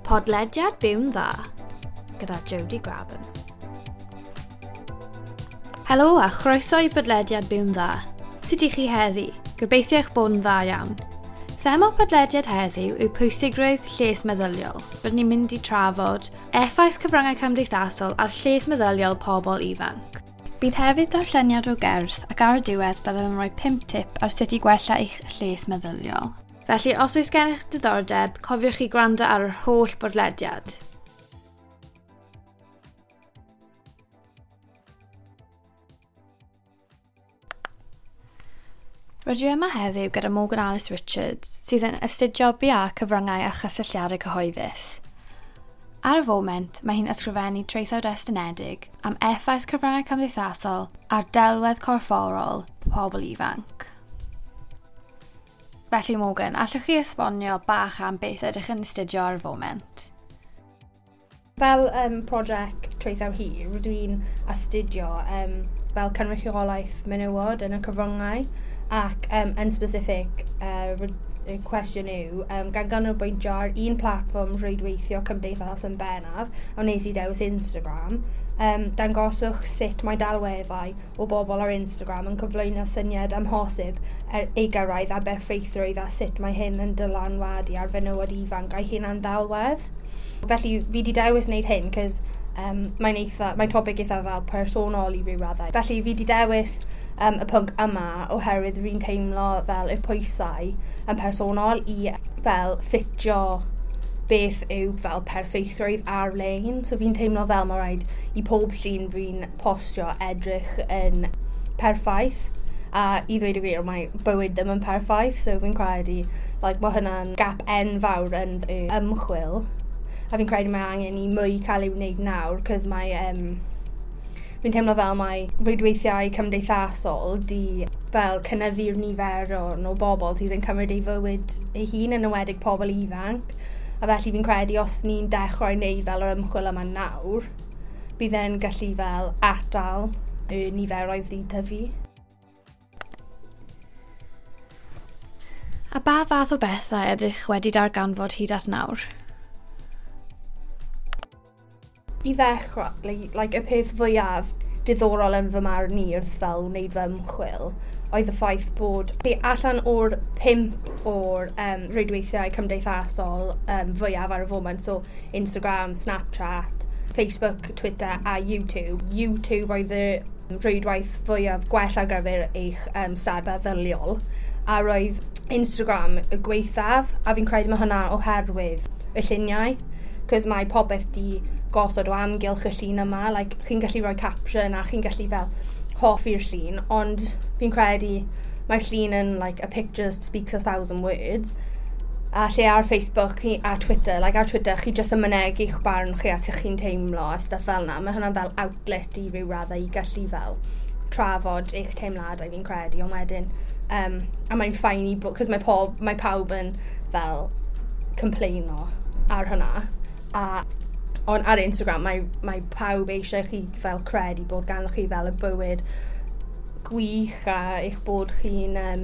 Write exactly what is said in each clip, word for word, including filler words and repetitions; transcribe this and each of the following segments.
Podlediad Byw'n Dda gyda Jodie Graben. Helo a chroeso i Podlediad Byw'n Dda. Sut ydych chi heddi? Gobeithio eich bod yn dda iawn. Thema podlediad heddiw yw pwysigrwydd lles meddyliol. Rydyn ni'n mynd i trafod effaith cyfryngau cymdeithasol ar lles meddyliol pobl ifanc. Bydd hefyd darlleniad o gerdd ac ar y diwedd byddaf yn rhoi pump tip ar sut i gwella eich lles meddyliol. Felly, os oes gennych diddordeb, cofiwch chi gwrando ar yr holl bodlediad. Rydw i yma heddiw gyda Morgan Alice Richards, sydd yn astudio B A cyfryngau a chysylltiadau cyhoeddus. Ar y foment, mae hi'n ysgrifennu traethawd estynedig am effaith cyfryngau cymdeithasol ar delwedd corfforol pobl ifanc. Felly Morgan, allwch chi esbonio bach am beth ydych yn astudio ar y foment? Fel um, prosiect traethawd hir, rydw i'n astudio um, fel cynrychiolaeth menywod yn y cyfryngau ac um, yn specific, uh, y cwestiwn yw, um, gan ganolbwyntio ar un platfform rhwydweithio cymdeithas yn bennaf, a wnes i dewis Instagram, um, dangoswch sut mae delweddau o bobl ar Instagram yn cyflwyno syniad amhosib er ei gyrraedd a berffeithrwydd a sut mae hyn yn dylanwadu ar fenywod ifanc a'i hunan ddelwedd. Felly fi wedi dewis wneud hyn, cos um, mae'n eitha, mae'n topic eitha fel personol i ryw raddau. Felly fi wedi dewis um, y pwnc yma oherwydd fi'n teimlo fel y pwysau yn personol i fel ffitio beth yw fel perffeithrwydd ar-lein. So fi'n teimlo fel mae rhaid i pob llun fi'n postio edrych yn perffaith. A i ddweud y gwir, mae bywyd ddim yn perffaith, so fi'n credu like, mae hwnna'n gap enfawr yn y ymchwil. A fi'n credu mae angen i mwy cael ei wneud nawr, cos mae um, fi'n teimlo fel mae rhwydweithiau cymdeithasol di fel cynyddu'r nifer o, o bobl sydd yn cymryd ei fywyd ei hun, yn enwedig pobl ifanc. A felly fi'n credu os ni'n dechrau wneud fel yr ymchwil yma nawr, bydd e'n gallu fel atal y niferoedd sy'n tyfu. A ba fath o bethau ydych wedi darganfod hyd at nawr? I ddechrau, like, like, y peth fwyaf diddorol yn fy marn i wrth fel wneud fy ymchwil oedd y ffaith bod allan o'r pump o'r um, rhwydweithiau cymdeithasol um, fwyaf ar y foment, so Instagram, Snapchat, Facebook, Twitter a YouTube. YouTube oedd y rhwydwaith fwyaf gwell ar gyfer eich um, stad meddyliol, a roedd Instagram y gwaethaf, a fi'n credu mae hwnna oherwydd y lluniau, cos mae popeth di gosod o amgylch y llun yma, like, chi'n gallu rhoi caption a chi'n gallu fel hoffi'r llun, ond fi'n credu mae'r llun yn like, a picture speaks a thousand words. A lle ar Facebook a Twitter, like ar Twitter chi jyst yn mynegi'ch barn chi a sut chi'n teimlo a stuff fel 'na. Mae hwnna'n fel outlet i ryw raddau i gallu fel trafod eich teimladau fi'n credu, ond wedyn um, a mae'n fine i bod, cos mae, pob, mae pawb yn fel complaino ar hwnna. A ond ar Instagram mae, mae pawb eisiau chi fel credu bod ganddo chi fel y bywyd gwych a eich bod chi'n um,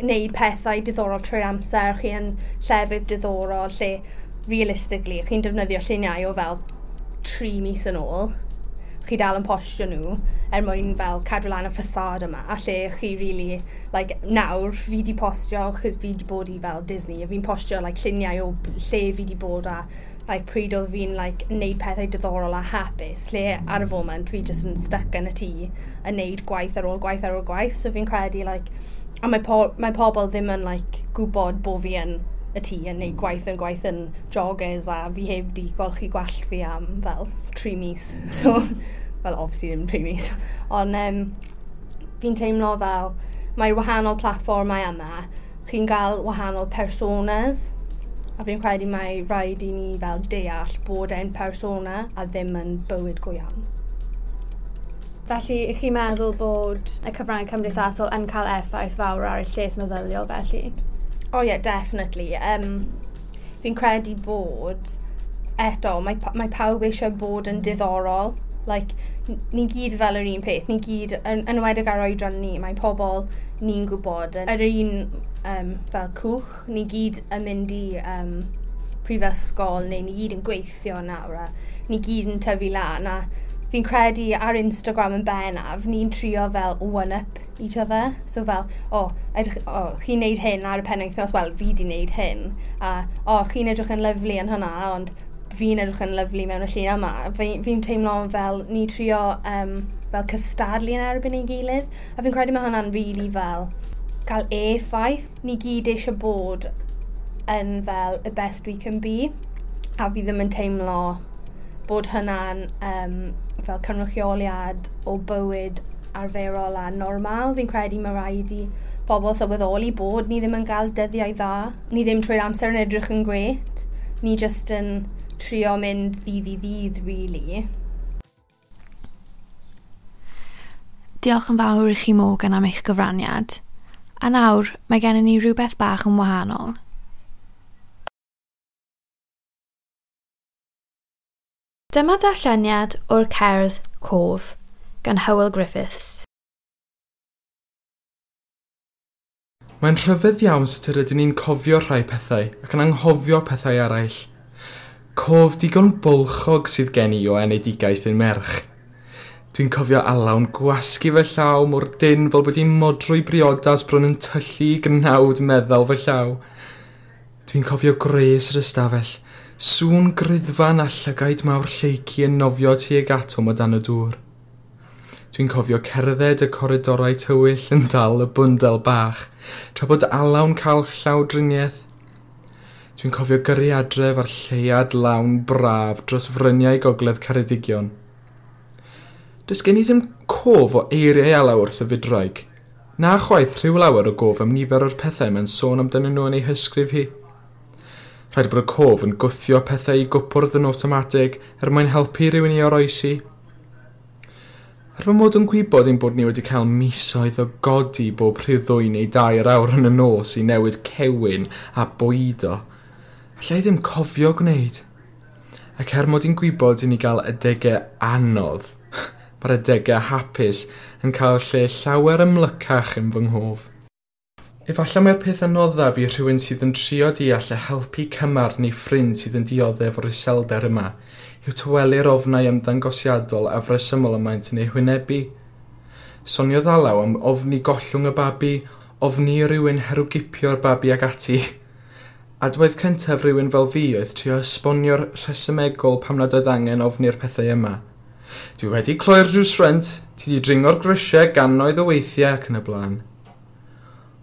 neud pethau diddorol trwy'r amser, chi yn llefydd diddorol lle realistically chi'n defnyddio lluniau o fel tri mis yn ôl, chi dal yn postio nhw er mwyn fel cadw lan y ffasad yma, a lle chi really, like, nawr fi di postio chos fi di bod i fel Disney a fi'n postio like, lluniau o lle fi di bod a like, pryd oedd fi'n like, neud pethau diddorol a hapus, lle ar y foment fi jyst yn stuck yn y tŷ yn neud gwaith ar ôl gwaith ar ôl gwaith, so fi'n credu like, a mae, po mae pobl ddim yn like, gwybod bod fi yn y tŷ yn neud gwaith yn gwaith yn joggers a fi heb di golchi gwallt fi am fel tri mis, so well obviously ddim tri mis, ond um, fi'n teimlo fel mae wahanol platfformau yma, chi'n gael wahanol personas, a fi'n credu mae rhaid i ni fel deall bod e'n persona a ddim yn bywyd go iawn. Felly, ych chi'n meddwl bod y cyfryngau cymdeithasol yn cael effaith fawr ar y lles meddyliol felly? Oh yeah, definitely. Um, fi'n credu bod, eto, mae, mae pawb eisiau bod yn diddorol. Like, ni gyd fel yr un peth, ni gyd, yn, yn enwedig ar oedran ni, mae pobl ni'n gwybod yn yr un um, fel cwch, ni gyd yn mynd i um, prifysgol neu ni gyd yn gweithio nawr a ni gyd yn tyfu lan a fi'n credu ar Instagram yn bennaf, ni'n trio fel one-up each other. So fel, o, oh, edrych, oh, chi'n neud hyn ar y penwythnos, wel, fi di neud hyn. A, o, oh, chi'n edrych yn lyfli yn hwnna, ond fi'n edrych yn lyfli mewn y llun yma. Fi'n fi teimlo fel ni trio um, fel cystadlu yn erbyn ei gilydd. A fi'n credu mae hwnna'n really fel cael effaith. Ni gyd eisiau bod yn fel y best we can be. A fi ddim yn teimlo bod hynna'n um, fel cynrychioliad o bywyd arferol a normal. Fi'n credu mae rhaid i pobl sylweddoli bod ni ddim yn cael dyddiau dda. Ni ddim trwy'r amser yn edrych yn grêt. Ni just yn trio mynd ddydd i ddydd, really. Diolch yn fawr i chi Morgan am eich gyfraniad. A nawr, mae gennym ni rhywbeth bach yn wahanol. Dyma darlleniad o'r cerdd Cof gan Hywel Griffiths. Mae'n rhyfedd iawn sut yr ydyn ni'n cofio rhai pethau ac yn anghofio pethau eraill. Cof digon bylchog sydd gen i o enedigaeth yn merch. Dwi'n cofio Alaw'n gwasgu fy llaw mor dyn fel bod hi'n modrwy briodas bron yn tyllu gnawd meddal fy llaw. Dwi'n cofio gwres yr ystafell, sŵn griddfan a llygaid mawr Lleucu yn nofio tuag atom o dan y dŵr. Dwi'n cofio cerdded y coridorau tywyll yn dal y bwndel bach, tra bod Alaw'n cael llawdriniaeth. Dwi'n cofio gyrru adref a'r lleuad lawn braf dros fryniau gogledd Ceredigion. Does gen i ddim cof o eiriau Alaw wrth y fydwraig, na chwaith rhyw lawer o gof am nifer o'r pethau mae'n sôn amdanyn nhw yn ei hysgrif hi. Rhaid bod y cof yn gwthio pethau i gwpwrdd yn awtomatig er mwyn helpu rhywun i oroesi. Er fy mod yn gwybod ein bod ni wedi cael misoedd o godi bob rhyw ddwy neu dair awr yn y nos i newid cewyn a bwydo, allai ddim cofio gwneud. Ac er mod i'n gwybod i ni gael adegau anodd, mae'r adegau hapus yn cael lle llawer ymlycach yn fy nghof. Efallai mai'r peth anoddaf i rhywun sydd yn trio deall a helpu cymar neu ffrind sydd yn dioddef o'r iselder yma yw tawelu'r ofnau ymddangosiadol a fresymol y maent yn eu hwynebu. Soniodd Alaw am ofni gollwng y babi, ofni rhywun herwgipio'r babi ag ati. Adwaith cyntaf rhywun fel fi oedd trio esbonio'r rhesymegol pam nad oedd angen ofni'r pethau yma. Dwi wedi cloi'r drws ffrynt, ti di dringo'r grisiau gannoedd o weithiau ac yn y blaen.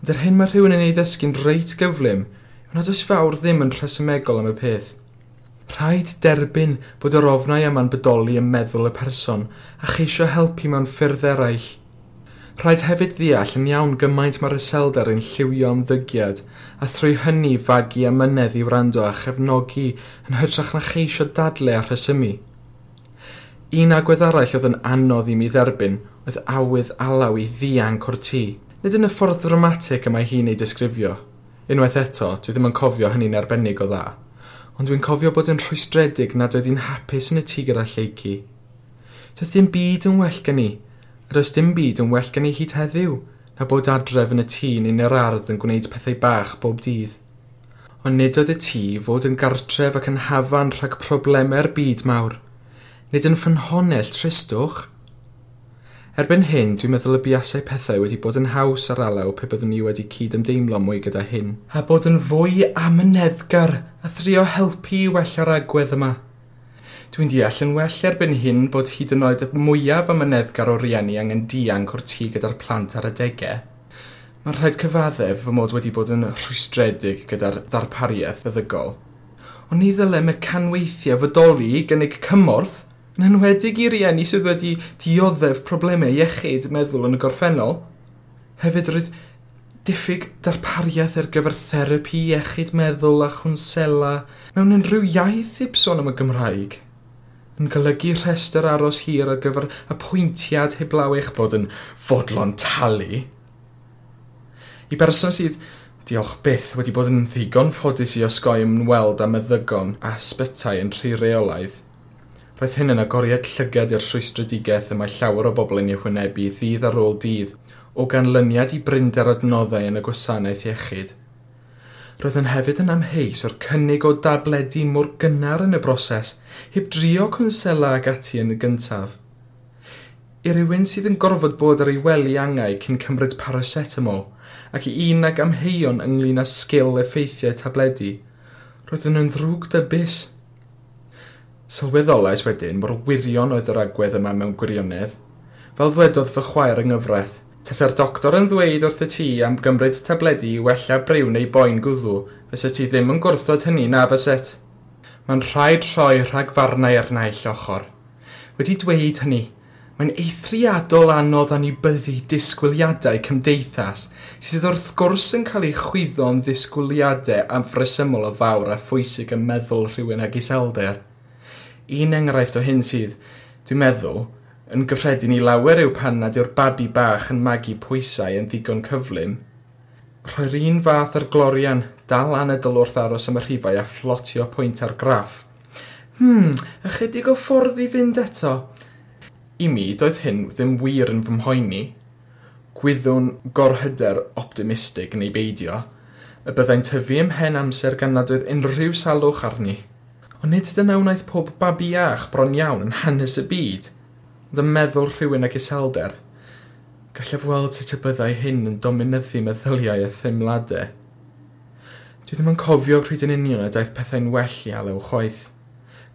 Ond yr hyn mae rhywun yn ei ddysgu'n reit gyflym yw nad oes fawr ddim yn rhesymegol am y peth. Rhaid derbyn bod yr ofnau yma'n bodoli ym meddwl y person a cheisio helpu mewn ffyrdd eraill. Rhaid hefyd ddeall yn iawn gymaint mae'r iselder yn lliwio ymddygiad a thrwy hynny fagu amynedd i wrando a chefnogi yn hytrach na cheisio dadle a rhesymu. Un agwedd arall oedd yn anodd i mi dderbyn oedd awydd Alaw i ddianc o'r tŷ. Nid yn y ffordd ddramatig y mae hi'n ei disgrifio. Unwaith eto, dwi ddim yn cofio hynny'n arbennig o dda. Ond dwi'n cofio bod yn rhwystredig nad oedd hi'n hapus yn y tŷ gyda Lleucu. Doedd dim byd yn well gen i, a does dim byd yn well gen i hyd heddiw, na bod adref yn y tŷ neu'n yr ardd yn gwneud pethau bach bob dydd. Ond nid oedd y tŷ fod yn gartref ac yn hafan rhag problemau'r byd mawr. Nid yn ffynhonnell tristwch. Erbyn hyn, dwi'n meddwl y buasai pethau wedi bod yn haws ar Alaw pe byddwn ni wedi cyd-ymdeimlo mwy gyda hyn. A bod yn fwy amyneddgar a thrio helpu i wella'r agwedd yma. Dwi'n deall yn well erbyn hyn bod hyd yn oed y mwyaf amyneddgar o rieni angen dianc o'r tŷ gyda'r plant ar adegau. Mae'n rhaid cyfaddef fy mod wedi bod yn rhwystredig gyda'r ddarpariaeth feddygol. Ond ni ddylai mecanweithiau fodoli i gynnig cymorth, yn enwedig i rieni sydd wedi dioddef problemau iechyd meddwl yn y gorffennol. Hefyd roedd diffyg darpariaeth ar gyfer therapi iechyd meddwl a chwnsela mewn unrhyw iaith heb sôn am y Gymraeg. Yn golygu rhestr aros hir ar gyfer apwyntiad heblaw eich bod yn fodlon talu. I berson sydd, diolch byth, wedi bod yn ddigon ffodus i osgoi ymweld â meddygon a ysbytai yn rhy reolaidd, roedd hyn yn agoriad llygad i'r rhwystredigaeth y mae llawer o bobl yn ei hwynebu ddydd ar ôl dydd o ganlyniad i brinder adnoddau yn y gwasanaeth iechyd. Roedd yn hefyd yn amheus o'r cynnig o dabledi mor gynnar yn y broses, heb drio cwnsela ag ati yn y gyntaf. I rywun sydd yn gorfod bod ar ei wely angau cyn cymryd paracetamol, ac i un ag amheuon ynglyn â sgil effeithiau tabledi, roeddwn yn ddrwg dybus. Sylweddolais wedyn mor wirion oedd yr agwedd yma mewn gwirionedd. Fel ddwedodd fy chwaer yng nghyfraith, tasa'r doctor yn ddweud wrth y ti am gymryd tabledi i wella briw neu boen gwddw, fysa ti ddim yn gwrthod hynny na fyset. Mae'n rhaid rhoi rhagfarnau ar naill ochr. Wedi dweud hynny, mae'n eithriadol anodd anwybyddu disgwyliadau cymdeithas sydd wrth gwrs yn cael ei chwyddo'n ddisgwyliadau afresymol o fawr a phwysig ym meddwl rhywun ag iselder. Un enghraifft o hyn sydd, dwi'n meddwl, yn gyffredin i lawer yw pan nad yw'r babi bach yn magu pwysau yn ddigon cyflym. Rhoi'r un fath ar glorian, dal anadl wrth aros am y rhifau a phlotio pwynt ar graff. Hmm, ychydig o ffordd i fynd eto. I mi, doedd hyn ddim wir yn fy mhoeni. Gwyddwn gorhyder optimistig neu beidio, y byddai'n tyfu ymhen amser gan nad oedd unrhyw salwch arni. Ond nid dyna wnaeth pob babi iach bron iawn yn hanes y byd, ond yn meddwl rhywun ag iselder. Gallaf weld sut y byddai hyn yn dominyddu meddyliau a theimladau. Dwi ddim yn cofio pryd yn union y daeth pethau'n well i Alew chwaith.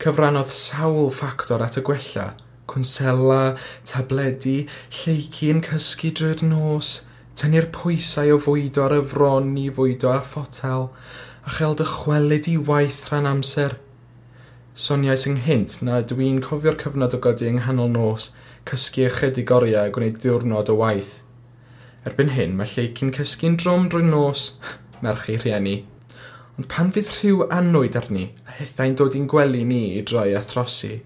Cyfrannodd sawl ffactor at y gwella, cwnsela, tabledi, lleici yn cysgu drwy'r nos, tynnu'r pwysau o fwydo ar y fron i fwydo a photel, a chael dychwelyd i waith rhan amser. Soniais ynghynt na dwi'n cofio'r cyfnod o godi yng nghanol nos, cysgu ychydig oriau a gwneud diwrnod o waith. Erbyn hyn, mae lleici'n cysgu'n drwm drwy nos, merch ei rhieni. Ond pan fydd rhyw annwyd arni, a hithau'n dod i'n gwely ni i droi a throsi,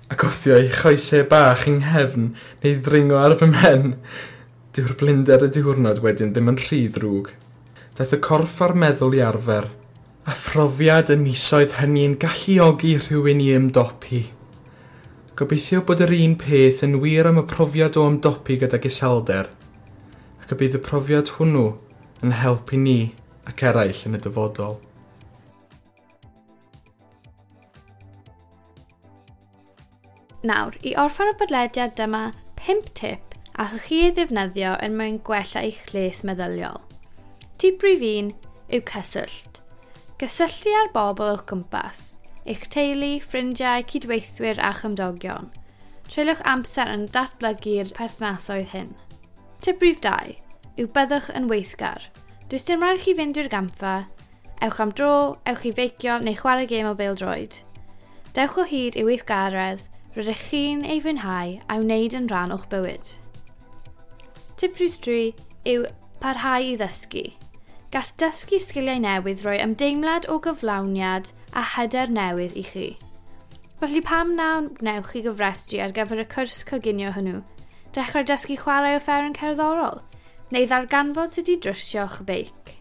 ac wthio ei choesau bach yng nghefn neu ddringo ar fy mhen, dyw'r blinder y diwrnod wedyn ddim yn rhy ddrwg. Daeth y corff a'r meddwl i arfer, a phrofiad y misoedd hynny'n galluogi rhywun i ymdopi. Gobeithio bod yr un peth yn wir am y profiad o ymdopi gydag iselder, ac y bydd y profiad hwnnw yn helpu ni ac eraill yn y dyfodol. Nawr, i orffen y podlediad dyma pump tip allwch chi ei ddefnyddio er mwyn gwella eich lles meddyliol. Tip rhif un yw cyswllt. Gysylltu â'r bobl o'ch gwmpas, eich teulu, ffrindiau, cydweithwyr a chymdogion. Treuliwch amser yn datblygu'r perthnasoedd hyn. Tip rhif dau yw byddwch yn weithgar. Does dim rhaid chi fynd i'r gampfa, ewch am dro, ewch i feicio neu chwarae gêm o bêl-droed. Dewch o hyd i weithgaredd rydych chi'n ei fwynhau a'i wneud yn rhan o'ch bywyd. Tip rhif tri yw parhau i ddysgu. Gall dysgu sgiliau newydd roi ymdeimlad o gyflawniad a hyder newydd i chi. Felly pam na wnewch chi gyfrestru ar gyfer y cwrs coginio hwnnw, dechrau dysgu chwarae offeryn cerddorol, neu ddarganfod sut i drwsio'ch beic.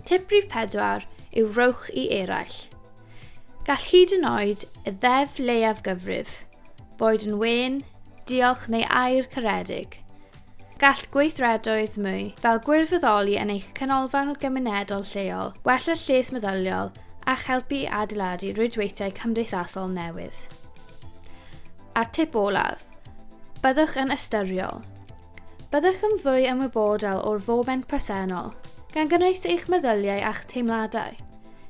Tip rhif pedwar yw rowch i eraill. Gall hyd yn oed y ddeddf leiaf gyfrif, boed yn wên, diolch neu air caredig. Gall gweithredoedd mwy, fel gwirfoddoli yn eich canolfan gymunedol lleol, wella lles meddyliol a'ch helpu i adeiladu rwydweithiau cymdeithasol newydd. A'r tip olaf, byddwch yn ystyriol. Byddwch yn fwy ymwybodol o'r foment presennol, gan gynnwys eich meddyliau a'ch teimladau,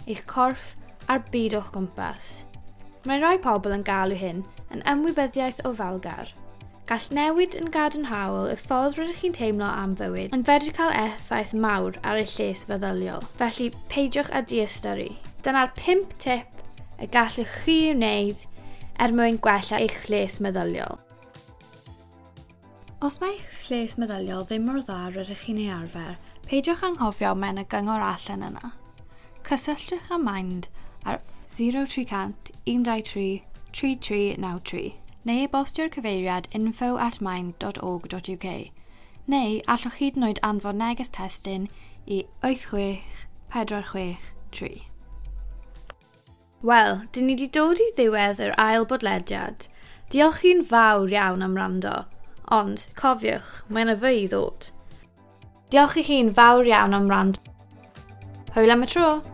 eich corff a'r byd o'ch gwmpas. Mae rhai pobl yn galw hyn yn ymwybyddiaeth ofalgar. Gall newid yn gadarnhaol y ffordd rydych chi'n teimlo am fywyd yn fedru cael effaith mawr ar eich lles feddyliol, felly peidiwch â diystyru. Dyna'r pump tip y gallwch chi wneud er mwyn gwella eich lles meddyliol. Os mae eich lles meddyliol ddim mor dda rydych chi'n ei arfer, peidiwch anghofio mae yna gyngor allan yna. Cysylltwch â Mind ar zero three cant un dau tri tri tri naw tri neu e-bostio'r cyfeiriad info at mind dot org dot uk neu allwch hyd yn oed anfon neges testun i wyth chwech pedwar chwech tri. Wel, dyn ni wedi dod i ddiwedd yr ail bodlediad. Diolch chi'n fawr iawn am wrando, ond cofiwch, mae yna fwy i ddod. Diolch i chi'n fawr iawn am wrando. Hwyl am y tro!